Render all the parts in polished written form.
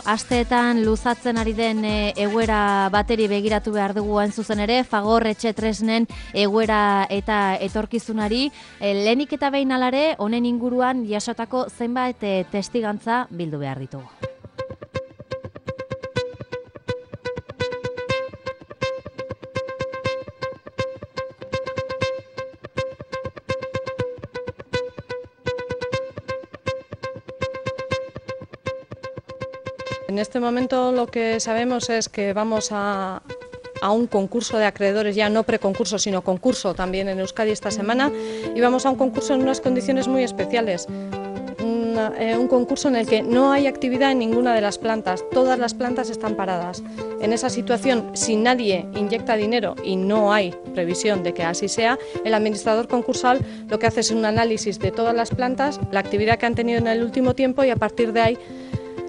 Asteetan luzatzen ari den egoera bateri begiratu behar dugu hain zuzen ere, Fagor etxe tresnen egoera eta etorkizunari. Lehenik eta behin alare, honen inguruan jasotako zenbait testigantza bildu behar ditugu. En este momento lo que sabemos es que vamos a un concurso de acreedores, ya no preconcurso, sino concurso también en Euskadi esta semana, y vamos a un concurso en unas condiciones muy especiales. Un concurso en el que no hay actividad en ninguna de las plantas, todas las plantas están paradas. En esa situación, si nadie inyecta dinero y no hay previsión de que así sea, el administrador concursal lo que hace es un análisis de todas las plantas, la actividad que han tenido en el último tiempo, y a partir de ahí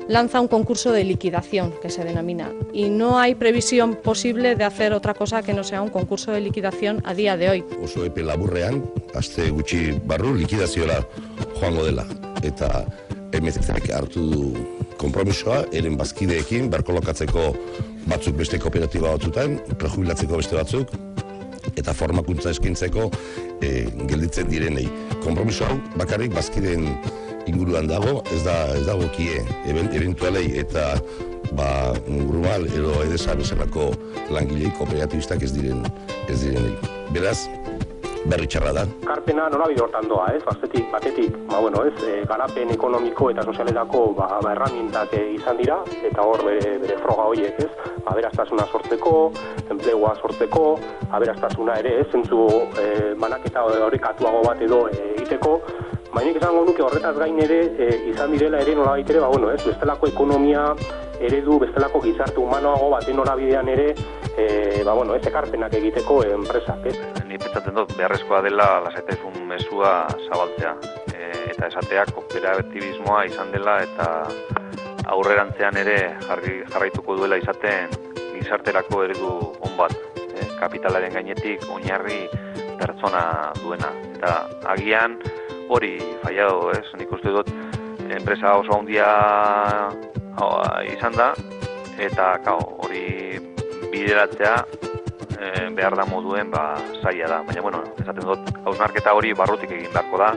lanza un concurso de liquidación, que se denomina, y no hay previsión posible de hacer otra cosa que no sea un concurso de liquidación a día de hoy. Oso epe laburrean, aste gutxi barru likidazioa joango dela, eta MZK hartu du konpromisoa, eren bazkideekin, berkolokatzeko batzuk beste kooperatiba batzutan, prejubilatzeko beste batzuk, eta formakuntza eskintzeko gelditzen direnei. Konpromiso hau bakarrik bazkideen inguruan dago, ez dago kie eventualei eta Grumal edo Edesa bezalako langilei kooperatibistak ez direnei. Beraz, berri txarra da. Karpena norabide hortan doa, batetik, garapen ekonomiko eta sozialetako erramintak izan dira, eta hor bere froga horiek, aberastasuna sortzeko, enplegua sortzeko, aberastasuna ere, zentzu banaketa horrekatuago bat edo egiteko. Mainik esango nuke horretaz gain ere izan direla ere nolabait ere, bestelako ekonomia eredu, bestelako gizarte humanoago baten norabidean ere, ekarpenak egiteko enpresak. Ni pentsatzen dut beharrezkoa dela lasaitasun mezua zabaltzea, eta esatea kooperatibismoa izan dela eta aurrerantzean ere jarraituko duela izaten gizarterako eredu on bat, kapitalaren gainetik oinarri pertsona duena. Eta agian hori fallado, nik uste dut enpresa oso handia izan da, eta hori bideratzea behar da moduen zaila da. Baina, esaten dut, hausnarketa hori barrutik egin beharko da.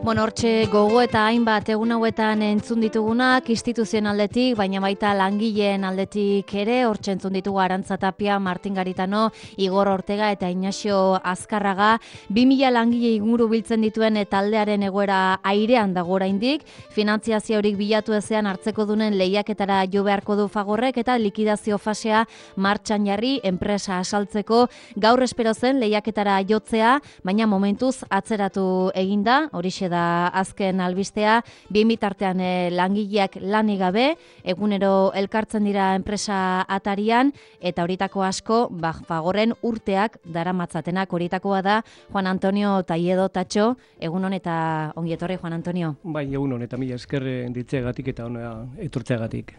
Hortxe gogo eta hainbat egun hauetan entzun ditugunak instituzioen aldetik, baina baita langileen aldetik ere, hortxe entzun ditugu Arantza Tapia, Martin Garitano, Igor Ortega eta Ignacio Azkarraga, 2000 langile inguru biltzen dituen taldearen egoera airean dago oraindik, finantziazio horik bilatu ezean hartzeko dunen lehiaketara jo beharko du Fagorrek eta likidazio fasea martxan jarri enpresa asaltzeko. Gaur espero zen lehiaketara jotzea, baina momentuz atzeratu eginda, horixe da azken albistea, bien bitartean langileak lanik gabe, egunero elkartzen dira enpresa atarian, eta horitako asko, Fagorren urteak daramatzatenak. Horitakoa da Juan Antonio Taiedo Tatxo, egunon eta ongi etorri, Juan Antonio. Bai, egunon eta mila esker ditzeagatik eta ona etortzeagatik.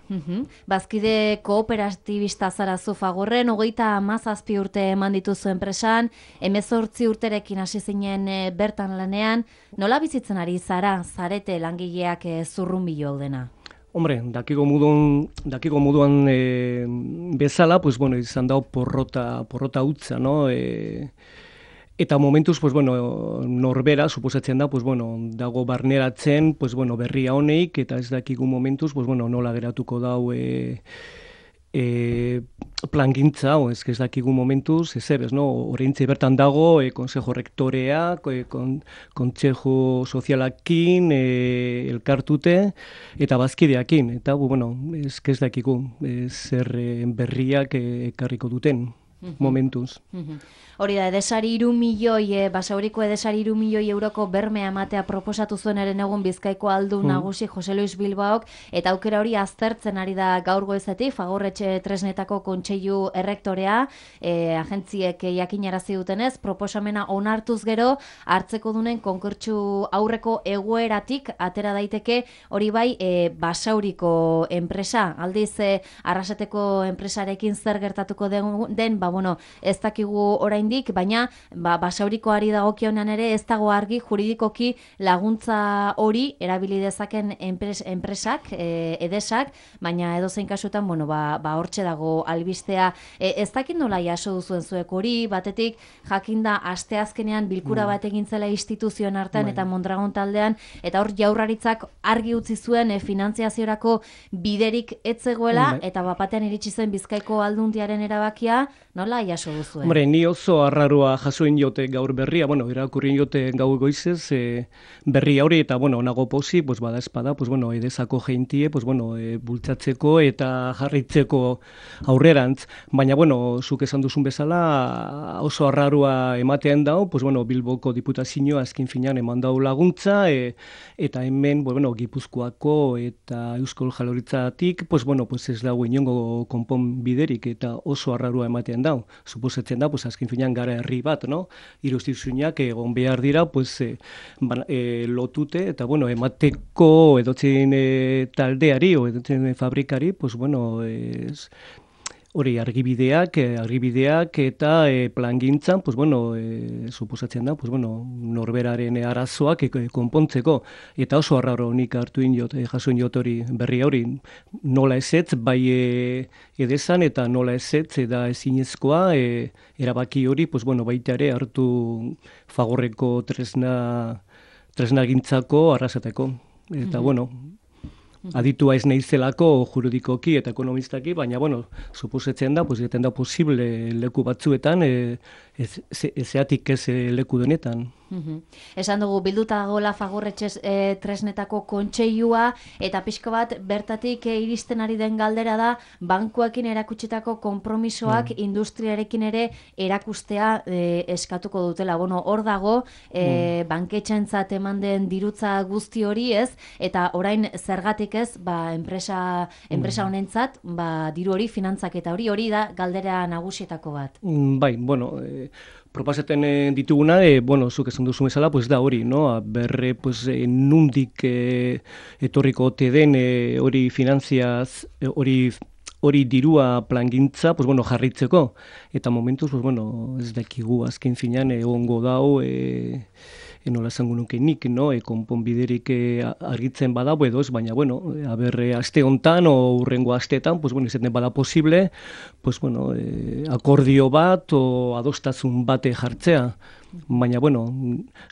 Bazkide kooperatibista zarazu Fagorren, 37 urte eman dituzu enpresan, 18 urterekin hasi zinen bertan lanean, nola bizitzen ari zarete langileak zurrunbilo dena? Hombre, dakiko moduan bezala, izan dago porrota utza, no? Eta momentuz, norbera, suposatzen da, dago barneratzen, berria honeik, eta ez dakigu momentuz, nola geratuko dau plangintza, ez dakigu momentuz, oraintxe bertan dago, konsejo rektorea, kontsejo sozialakin, elkartute, eta bazkideakin, eta ez dakigu zer berriak ekarriko duten momentuz. Hori da, Edesari 3 milioi, Basauriko Edesari 3 milioi euroko bermea ematea proposatu zuenaren egun Bizkaiko aldun nagusi Jose Luis Bilbaok, eta aukera hori aztertzen ari da gaur goizetik, Fagor etxe tresnetako kontseilu errektorea, agentziek jakinarazi dutenez, proposamena onartuz gero, hartzeko dunen konkurtsu aurreko egoeratik atera daiteke, hori bai, Basauriko enpresa, aldiz Arrasateko enpresarekin zer gertatuko den, ez dakigu oraindik, baina basaurikoari dagokionean ere ez dago argi juridikoki laguntza hori erabili dezaken enpresak, edesak, baina edozein kasutan, hortxe dago albistea. Ez dakit nola jaso duzuen zuek hori, batetik jakinda asteazkenean bilkura bat egin zela instituzioen artean eta Mondragon taldean, eta hor Jaurlaritzak argi utzi zuen finantziaziorako biderik ez zegoela, eta bapatean iritsi zen Bizkaiko Aldundiaren erabakia, nola jaso duzuen? Hombre, ni oso arraroa jasoin jote gaur berria, irakurrien jote gau goizez, berria hori, eta nago posi, bada espada, edesako jeintie, bultzatzeko eta jarritzeko aurrerantz, baina, zuk esan duzun bezala, oso arraroa ematean dau, Bilboko diputazioa azken finean eman dau laguntza, eta hemen, Gipuzkoako eta Euskal Jaurlaritzatik, ez dago inongo konpon biderik, eta oso arraroa ematean dau. Suposatzen da, azken finean gara herri bat, Iruztizunak egon behar dira, lotute, eta, emateko edotzen taldeari, o edotzen fabrikari, hori argibideak eta plangintzan, suposatzen da, norberaren arazoak konpontzeko. Eta oso arraro nik jasoin jot hori berri hori, nola ezetz, bai edezan eta nola ezetz, eda ezinezkoa, erabaki hori, baita ere hartu Fagorreko tresna gintzako arrasateko. Eta, aditua ez naizelako juridikoki eta ekonomistaki, baina, suposatzen da, jaten da posible leku batzuetan, ezeatik ez leku denetan. Esan dugu, bilduta dagoela Fagorretxez tresnetako kontseilua, eta pixko bat bertatik iristen ari den galdera da, bankuekin erakutsitako konpromisoak industriarekin ere erakustea eskatuko dutela. Hor dago, banketxentzat eman den dirutza guzti hori ez, eta orain zergatik ez, enpresa honentzat, diru hori, finantzak eta hori da galdera nagusietako bat. Bai, proposaten dituguna, zuk esan duzu bezala, da hori, berre, nundik etorriko ote den hori finantziaz, hori dirua plangintza, jarritzeko. Eta momentuz, ez dakigu azken finean egongo dau, nola esango nuke nik, konponbiderik argitzen badago edo ez, baina, aste hontan o urrengo asteetan, izaten bada posible, akordio bat o adostasun bate jartzea, baina,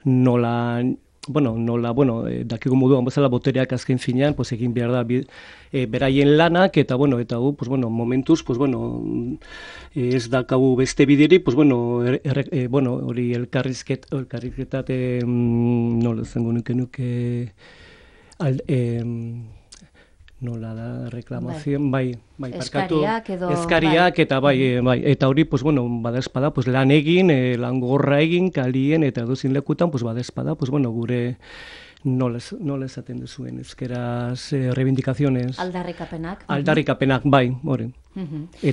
nola, dakigu moduan bezala botereak azken finean, egin behar da beraien lanak, eta, momentuz, ez dakagu beste biderik, hori elkarrizketat, nola zengo nuke, nola da, reklamazion, eskariak edo... Eskariak, eta eta hori, bada espada, lan egin, lan gorra egin, kalien, eta dozin lekutan, bada espada, gure nola esaten duzuen, ezkeraz reivindikaziones. Aldarrikapenak, bai, hori.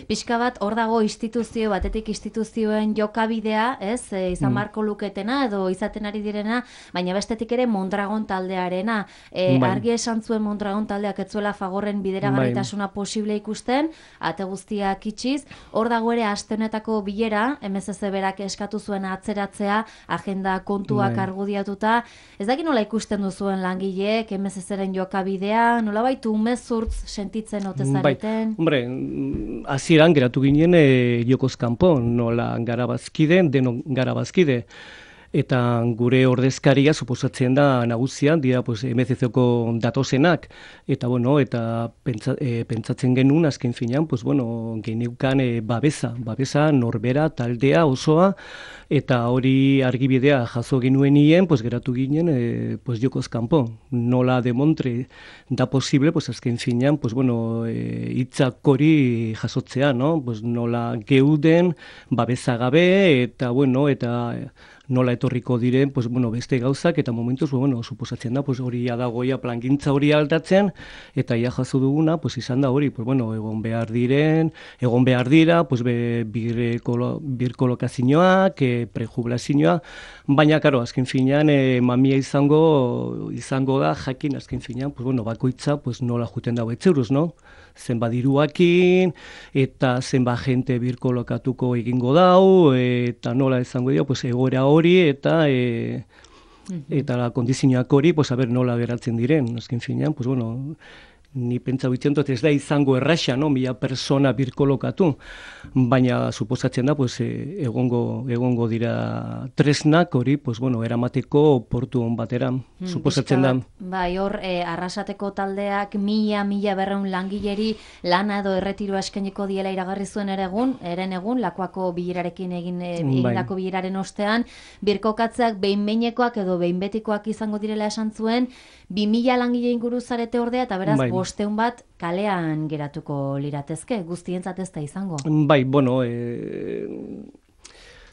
Pixka bat, hor dago instituzio, batetik instituzioen jokabidea, ez, izan marko luketena edo izaten ari direna, baina bestetik ere Mondragon taldearena. Argi esan zuen Mondragon taldeak etzuela Fagorren bideragarritasuna posible ikusten, ate guztiak itxiz, hor dago ere aste honetako bilera, MSC berak eskatu zuen atzeratzea, agenda kontuak argudiatuta, ez daki nola ikusten duzuen langileek, MSC-ren jokabidea, nola baitu umezurtz sentitzen ote zareten? Hombre, hasieran geratu ginen jokoz kanpo, nola gara bazkide, denon gara bazkide. Eta gure ordezkaria suposatzen da nagusian, dira MCC-ko datozenak. Eta, eta pentsatzen genuen azken finean, geneukan babesa, norbera, taldea, osoa, eta hori argibidea jaso genuen nien, geratu ginen jokoz kanpo. Nola demontre da posible, azken finean, hitzak hori jasotzea, nola geuden babesa gabe, eta, eta nola etorriko diren, pues, bueno, beste gauzak, eta momentuz, bueno, suposatzen da, pues, hori dagoia plangintza hori aldatzen, eta ia jaso duguna, pues, izan da hori, pues, bueno, egon behar dira, pues, birkolokazioak, prejubilazioa, baina, karo, azken finean, mamia izango da, jakin, azken finean, pues, bueno, bakoitza, pues, nola juten dago etzeuruz, no? Zenba diruakin, eta zenba jente birkolokatuko egingo dau, eta nola izango dio, pues, egoera hori, eta kondizioak hori, pues, nola geratzen diren, azken finean, pues, bueno, ni pentsa bitzen dut ez da izango erraxa, no? 1000 persona birkolokatu, baina suposatzen da, pues, egongo dira tresnak hori, pues, bueno, eramateko portu on batera, suposatzen da. Bai, hor, arrasateko taldeak 1000-1200 langileri lana edo erretiroa eskainiko diela iragarri zuen eren egun, Lakuako bilerarekin egindako bileraren ostean, birkokatzeak behin-behinekoak edo behin-betikoak izango direla esan zuen, 2000 langile inguru zarete ordea, eta beraz, 500 bat kalean geratuko liratezke, guztientzat ez da izango. Bai, bueno,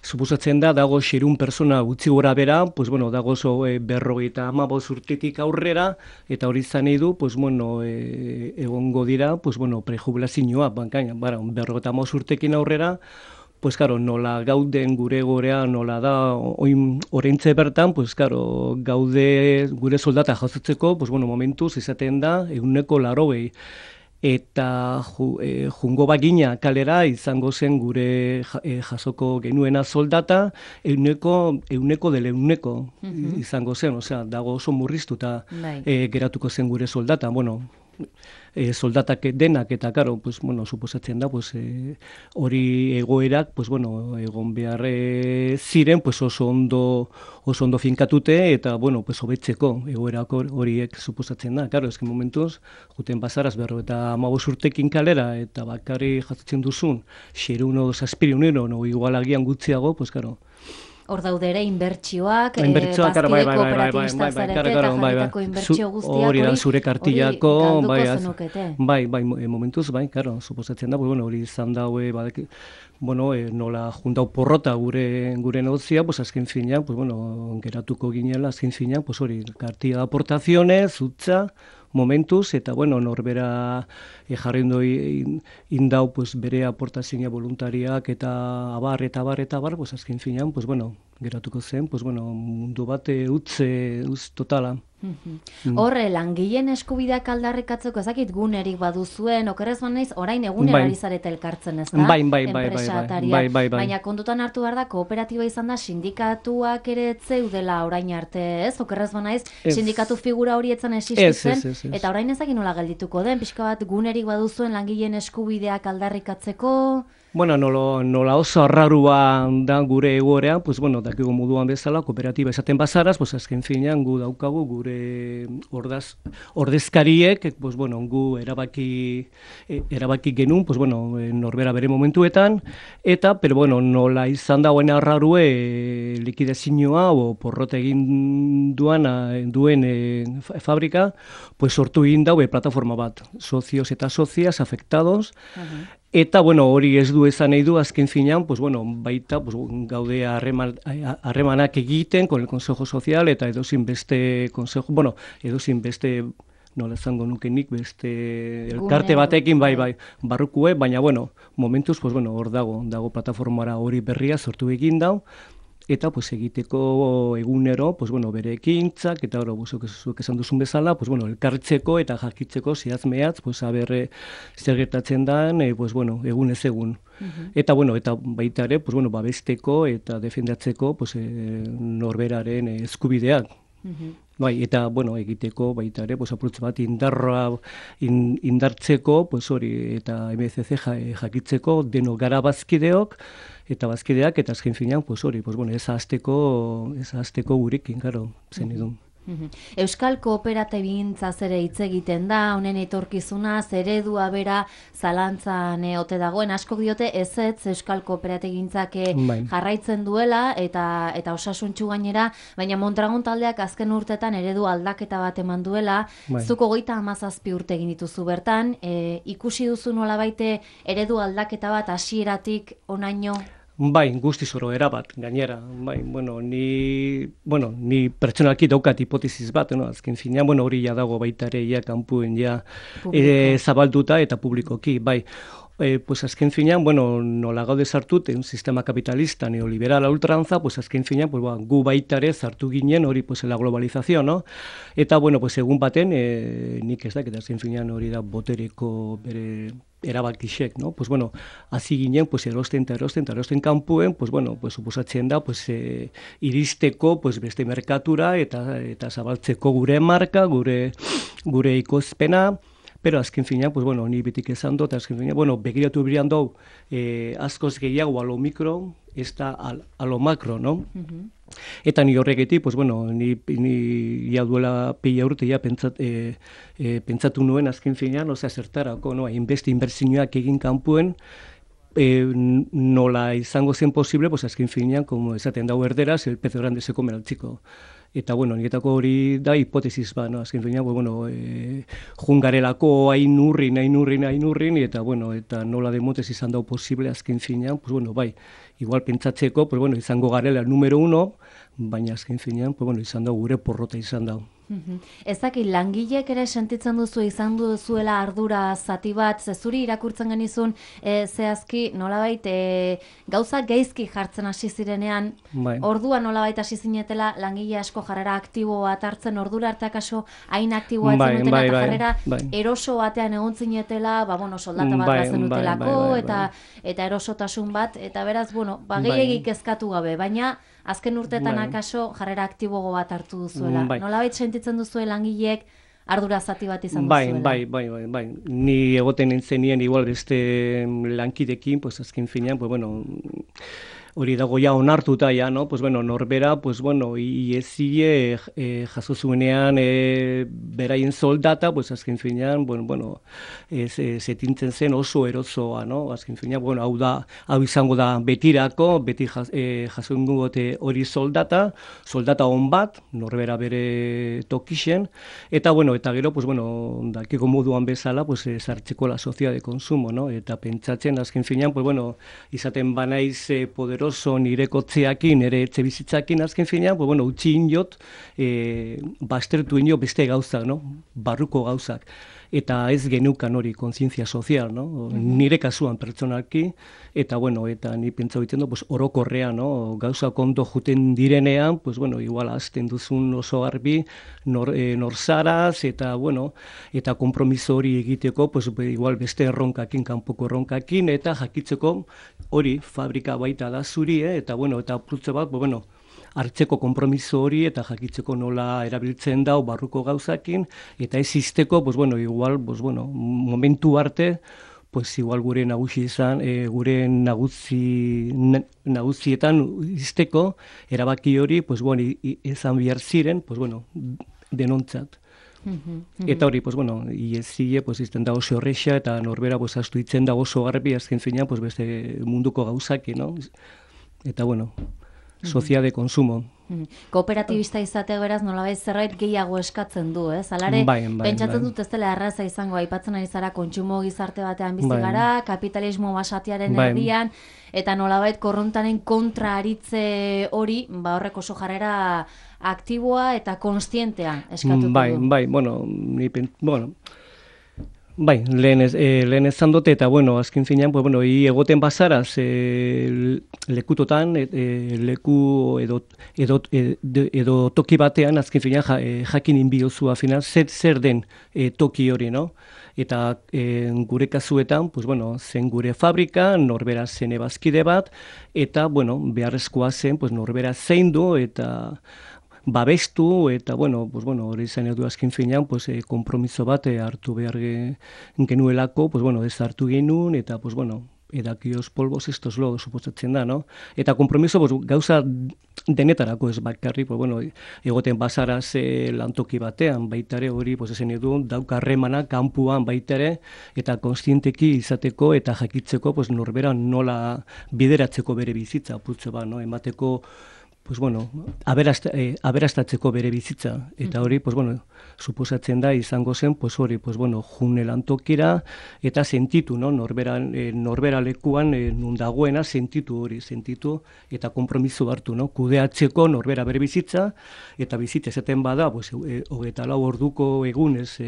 suposatzen da, dago 600 persona gutxi gora bera, pues, bueno, dago 55 urtetik aurrera, eta hori izan nahi du, pues, bueno, egongo dira, pues, bueno, prejubilazioa, bankaina, 55 urtekin aurrera, pues, claro, nola gauden gure gorea, nola da, oraintze bertan, pues, claro, gaude gure soldata jasotzeko, pues, bueno, momentuz izaten da, 180. Eta jungo bagina kalera izango zen gure jasoko genuena soldata, 100% izango zen, osea, dago oso murriztuta geratuko zen gure soldata, bueno, soldatak denak eta karo, pues, bueno, suposatzen da, pues, hori egoerak, pues, bueno, egon behar ziren, pues, oso ondo finkatute eta, bueno, pues, hobetzeko egoerak horiek suposatzen da. Karo, ezken momentuz, juten bazaraz 55 urtekin kalera eta bakarri jasotzen duzun, 600 no igual agian gutxiago, pues, karo, Hor daude ere inbertsioak, bazkide kooperatibista zarete eta jarritako inbertsio guztiak hori da zure kartillako, galduko zenukete. Bai, momentuz, bai, karo, suposatzen da, bueno, hori izan daue, bueno, nola juntau porrota gure negozia, pues azken finean, pues bueno, geratuko ginela, azken finean, pues hori, kartilla de aportaciones, utza, momentuz, eta bueno, norbera jarriendo indau, pues bere aportazioa voluntariak eta abar, pues azken finean, pues bueno, geratuko zen, pues bueno, mundu bat utz totala. Horre, langileen eskubideak aldarrikatzeko ezakit gunerik baduzuen, okerrez banaiz, orain egunera ari zarete elkartzen, ez da? Bai. Baina kontutan hartu behar da, kooperatiba izan da, sindikatuak ere zeudela orain arte, ez? Okerrez banaiz, sindikatu figura hori etzan existitzen, eta orain ezakit nola geldituko den, pixka bat gunerik baduzuen langileen eskubideak aldarrikatzeko... Bueno, nola oso arrarua da gure egorea, pues bueno, dakigu moduan bezala, kooperatiba esaten bazaraz, pues azken finean gu daukagu gure ordezkariek, pues bueno, gu erabaki genuen, pues bueno, norbera bere momentuetan, eta, pero bueno, nola izan dagoen arrarue likidazioa o porrota egin duen fabrika, pues sortu egin daue plataforma bat, socios eta socias afectados, eta, bueno, hori ez du esan nahi du, azken finean, pues, bueno, baita, pues, gaude harremanak egiten con el Consejo Social, eta edozin beste Consejo, bueno, edozin beste, nola zango nukenik, beste elkarte batekin, bai, barrukue, baina, bueno, momentuz, pues, bueno, hor dago plataformara hori berria sortu egin dau, eta pues egiteko egunero, pues bueno, bere ekintzak eta oro zuek esan duzun bezala, pues bueno, elkartzeko eta jakitzeko zehatz-mehatz, pues zer gertatzen dan, pues bueno, egunez egun. Eta bueno, eta baita ere, pues bueno, babesteko eta defendatzeko, pues norberaren eskubideak. Bai, eta bueno, egiteko baita ere, pues apurtze bat indartzeko, pues hori eta MCC jakitzeko deno gara bazkideok eta bazkideak eta azken finean, pues hori, pues bueno, ez hasteko gurekin, claro, zen edo. Euskal kooperatibintzaz ere hitz egiten da, honen etorkizuna, eredua bera zalantzan ote dagoen, asko diote ezetz Euskal kooperatigintzak jarraitzen duela eta osasuntsu gainera, baina Mondragon taldeak azken urtetan eredu aldaketa bat eman duela, zuko 37 urte egin dituzu bertan, ikusi duzu nolabait eredu aldaketa bat hasieratik honaino? Bai, guztiz oro erabat, gainera. Bai, ni pertsonalki daukat hipotesis bat, no? Azken finean, hori ja dago baita ere ja kanpuen ja zabalduta eta publikoki, bai. Pues azken finean, nola gaude sartut, un sistema kapitalista neoliberala ultranza, pues azken finean, pues, gu baita ere sartu ginen hori pues la globalización, no? Eta, pues egun baten, nik ez dakit, azken finean hori da botereko bere erabakixek, no? Pues hasi ginen, pues erosten kanpuen, pues pues suposatzen da, pues iristeko, pues beste merkatura eta zabaltzeko gure marka, gure ikozpena. Pero azken finean, pues ni betik esan dut, azken finean, begiratu birian dau, askoz gehiago a lo micro, ez da a lo macro, no? Eta ni horregetik, pues ni ja duela pila urte ja pentsatu nuen azken finean, zertarako, no? Inbertsioak egin kanpuen, nola izango zen posible, pues azken finean, como esaten dau erderaz, el pez grande se come al chico. Eta, niretako hori da hipotesis ba, no? Azken finean, jungarelako hain urrin, eta, eta nola demotez izan dau posible, azken finean, pues bai, igual pentsatzeko, pues izango garela número 1, baina azken finean, pues izan dau gure porrota izan dau. Ezakit, langilek ere sentitzen duzu izan duzuela ardura zati bat, zezuri irakurtzen genizun, zehazki nolabait gauza gaizki jartzen hasi zirenean, orduan nolabait hasi zinetela langile asko jarrera aktibo bat hartzen, ordura arte akaso hain aktiboa zenutela eta jarrera eroso batean egon zinetela, soldata bat bazenutelako eta erosotasun bat, eta beraz, gehiagik kezkatu gabe, baina azken urtetan akaso jarrera aktibogo bat hartu duzuela. Nolabait sentitzen duzuela langileek ardura zati bat izan duzuela? Bai. Ni egoten nintzenien igual beste lankidekin, pues azken finean, hori dago ja onartuta ja, no? Pues norbera, pues iezie jaso zuenean beraien soldata, pues azken finean, zetintzen zen oso erozoa, no? Azken finean, hau izango da betirako, beti jaso ingote hori soldata on bat, norbera bere tokixen, eta gero, pues dakiko moduan bezala, pues sartzeko la sociedad de consumo, no? Eta pentsatzen, azken finean, pues izaten banaiz poderoso nirekotzeakin, nire etxe bizitzakin azken finean, utzi inot, bastertu inot beste gauzak, no? Barruko gauzak. Eta ez genukan hori kontzientzia sozial, no? Nire kasuan pertsonalki, eta ni pentsa egiten du, orokorrean, no? Gauzak ondo juten direnean, igual azten duzun oso garbi, norzaraz, eta kompromiso hori egiteko, igual beste erronkakin, kanpoko erronkakin, eta jakitzeko hori fabrika baita da zuri, eta prutze bat, hartzeko kompromiso hori eta jakitzeko nola erabiltzen dau barruko gauzakin, eta ez izteko, igual, momentu arte, igual gure nagusi izan, gure nagusietan izteko, erabaki hori, izan bihar ziren, denontzat. Eta hori, iezie, izten da oso horreixa, eta norbera astu itzen da oso garbi, azken finean, beste munduko gauzaki, no? Eta, sociedad de consumo. Kooperatibista izatea beraz nolabait zerbait gehiago eskatzen du, ez? Alare, pentsatzen dut ez dela erraza izango, aipatzen ari zara kontsumo gizarte batean bizi gara, kapitalismo basatiaren erdian, eta nolabait korrontaren kontra aritze hori, horrek oso jarrera aktiboa eta konstientea eskatuko du. Bai, lehen ezan dute, eta azken finean, egoten bazaraz lekutotan, leku edo toki batean, azken finean jakin inbiozu afinan, zer den toki hori, no? Eta gure kasuetan, zen gure fabrika, norbera zen ebazkide bat, eta beharrezkoa zen norbera zein du, eta babestu, eta hori izan edu azken finean, kompromiso bat hartu behar genuelako, ez hartu genuen, eta edakioz polbos estos lo suposatzen da, no? Eta kompromiso gauza denetarako ez bakarri, egoten bazaraz lantoki batean, baitare hori, esan edu, daukarremana kanpuan baitare, eta konstienteki izateko, eta jakitzeko, norbera nola bideratzeko bere bizitza, putze bat, no? Emateko pues bueno, aberastatzeko bere bizitza, eta hori, pues bueno, suposatzen da izango zen, pues hori, pues bueno, june lantokira, eta sentitu, no? Norbera lekuan nun dagoena sentitu hori, eta konpromiso hartu, no? Kudeatzeko norbera bere bizitza, eta bizitza esaten bada, pues, 24 orduko egunez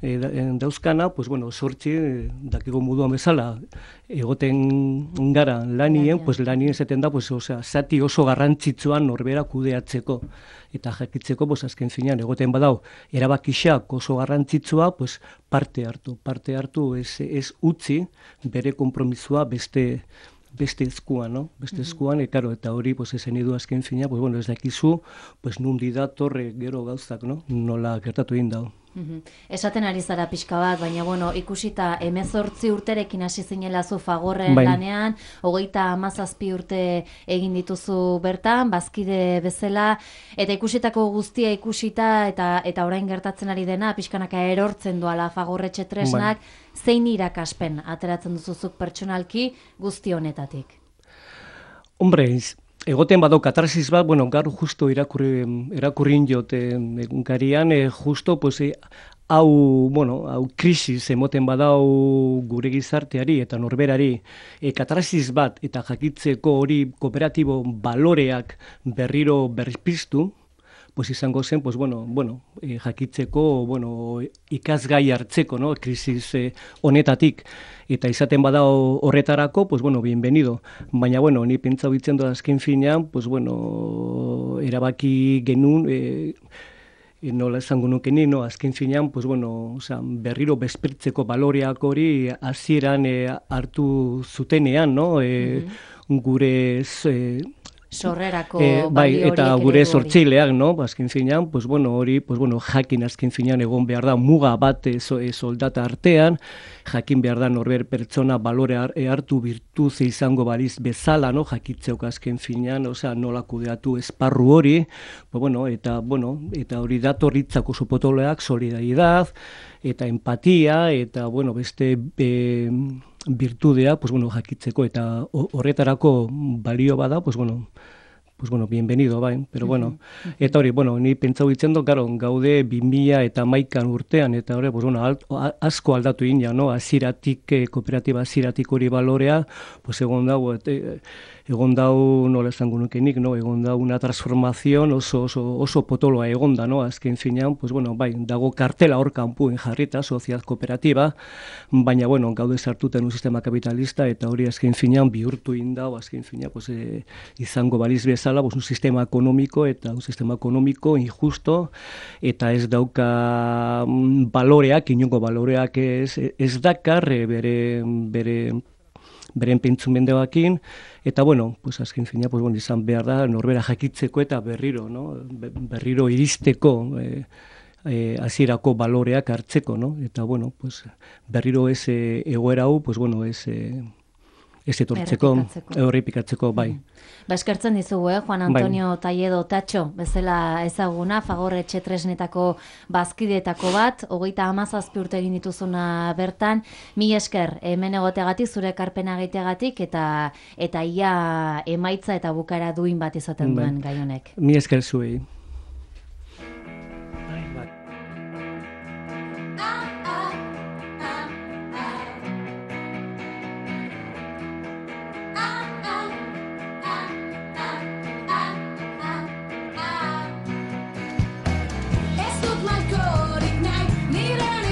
dauzkana, pues bueno, sortzi, dakigo moduan bezala, egoten gara lanien, pues lanien esaten da, pues, osea, zati oso garrantzitsuan norbera kudeatzeko, eta jakitzeko, pues, azken finean, egoten badau, erabakixak oso garrantzitsua, pues, parte hartu, ez utzi bere konpromisua beste eskuan, no? Beste eskuan, eta hori, pues, ezen edu azken fina, pues, bueno, ez dakizu, pues, nundi datorre gero gauzak, no? Nola gertatu egin dau. Esaten ari zara pixka bat, baina bueno, ikusita 18 urterekin hasi zinela zu Fagorren lanean, 37 urte egin dituzu bertan, bazkide bezala, eta ikusitako guztia ikusita, eta orain gertatzen ari dena, pixkanaka erortzen doala Fagorretxe tresnak, zein irakaspen ateratzen duzuzuk pertsonalki guzti honetatik? Hombre, egoten badau katarsis bat, bueno, gaur justo irakurrin jot egunkarian, justo, pues, hau krisis emoten badau gure gizarteari eta norberari, katarsis bat eta jakitzeko hori kooperatibo baloreak berriro berpiztu, pues izango zen, pues jakitzeko, ikasgai hartzeko, no, krisis honetatik, eta izaten bada horretarako, pues bienvenido. Baina, ni pentsa bitzen doa azken finean, pues erabaki genuen, nola esango nukenik, no, azken finean, pues berriro bezpertzeko baloreak hori hasieran hartu zutenean, no, gure sorrerako bai, eta gure sortzaileak, no? Azken finean, pues hori, jakin azken finean egon behar da muga bat soldata artean, jakin behar da norber pertsona balore hartu virtuz izango baliz bezala, no? Jakitzeok azken finean, osea, nola kudeatu esparru hori, eta hori datorritzako supotoloak, solidaridad, eta empatia, eta beste virtudea, jakitzeko, eta horretarako balio bada, bienvenido, bai, pero eta hori, ni pentsau ditzen dut, gaude 2011 urtean, eta hori, asko aldatu ina, no, aziratik, kooperatiba aziratik hori balorea, egon dau, nola esango nukenik, no, egon dau una transformación oso potoloa egon da, no, azken finean, bai, dago kartela hor kanpuen jarrita, sozial kooperatiba, baina, gaude sartuten un sistema kapitalista, eta hori azken finean bihurtu indau, azken finean, izango baliz bezala, un sistema ekonomiko, eta un sistema ekonomiko injusto, eta ez dauka baloreak, inongo baloreak ez dakar, beren pentsumendeakin, eta azken fina, izan behar da, norbera jakitzeko eta berriro, no? Berriro iristeko hasierako baloreak hartzeko, no? Eta, berriro ez egoera hau, ez etortzeko, horrepikatzeko, bai. Eskertzen dizugu, Juan Antonio Talledo Tatxo, bezala ezaguna, Fagorretxe tresnetako bazkideetako bat, 37 urte egin dituzuna bertan, mila esker, hemen egoteagatik, zure ekarpena egiteagatik, eta ia emaitza eta bukara duin bat izaten duen gai honek. Mila esker zuei.